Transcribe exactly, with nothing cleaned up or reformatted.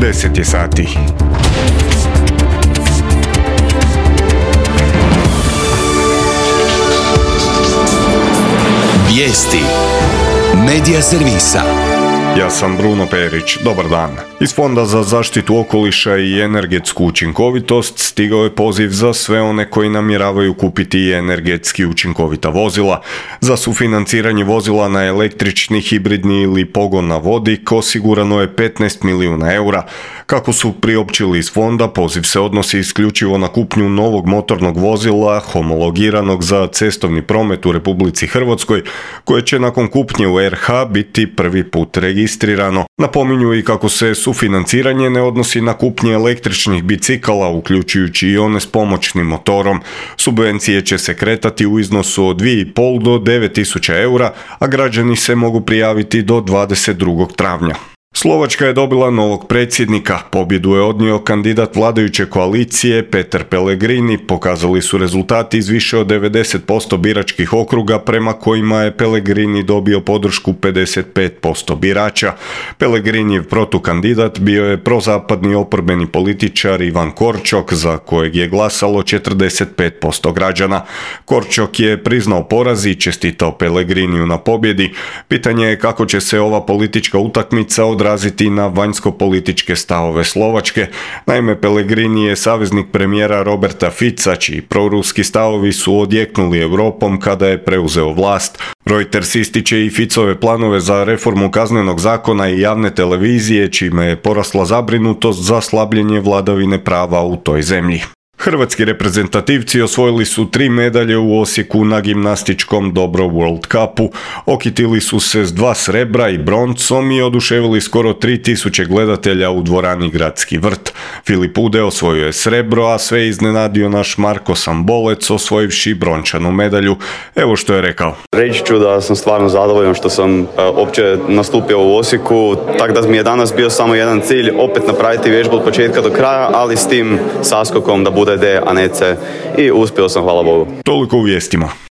deset je sati. Vijesti Medija servisa. Ja sam Bruno Perić, dobar dan. Iz Fonda za zaštitu okoliša i energetsku učinkovitost stigao je poziv za sve one koji namjeravaju kupiti energetski učinkovita vozila. Za sufinanciranje vozila na električni, hibridni ili pogon na vodik osigurano je petnaest milijuna eura. Kako su priopćili iz fonda, poziv se odnosi isključivo na kupnju novog motornog vozila homologiranog za cestovni promet u Republici Hrvatskoj, koje će nakon kupnje u er ha biti prvi put registrirano. Napominju i kako se sufinanciranje ne odnosi na kupnje električnih bicikala, uključujući i one s pomoćnim motorom. Subvencije će se kretati u iznosu od dvije i pol do devet tisuća eura, a građani se mogu prijaviti do dvadeset drugog travnja. Slovačka je dobila novog predsjednika. Pobjedu je odnio kandidat vladajuće koalicije Peter Pellegrini. Pokazali su rezultati iz više od devedeset posto biračkih okruga prema kojima je Pellegrini dobio podršku pedeset pet posto birača. Pellegrinijev protukandidat bio je prozapadni oporbeni političar Ivan Korčok, za kojeg je glasalo četrdeset pet posto građana. Korčok je priznao poraz i čestitao Pellegriniju na pobjedi. Pitanje je kako će se ova politička utakmica odraziti odraziti na vanjsko-političke stavove Slovačke. Naime, Pellegrini je saveznik premijera Roberta Fica, čiji proruski stavovi su odjeknuli Europom kada je preuzeo vlast. Reuters ističe i Ficove planove za reformu kaznenog zakona i javne televizije, čime je porasla zabrinutost za slabljenje vladavine prava u toj zemlji. Hrvatski reprezentativci osvojili su tri medalje u Osijeku na gimnastičkom Dobro World Cupu. Okitili su se s dva srebra i broncom i oduševili skoro tri tisuće gledatelja u dvorani Gradski vrt. Filip Ude osvojio je srebro, a sve iznenadio naš Marko Sambolec osvojivši brončanu medalju. Evo što je rekao. Reći ću da sam stvarno zadovoljan što sam uh, opće nastupio u Osijeku, tako da mi je danas bio samo jedan cilj, opet napraviti vježbu od početka do kraja, ali s tim saskokom da bude D, a ne C, i uspio sam, hvala Bogu. Toliko u vijestima.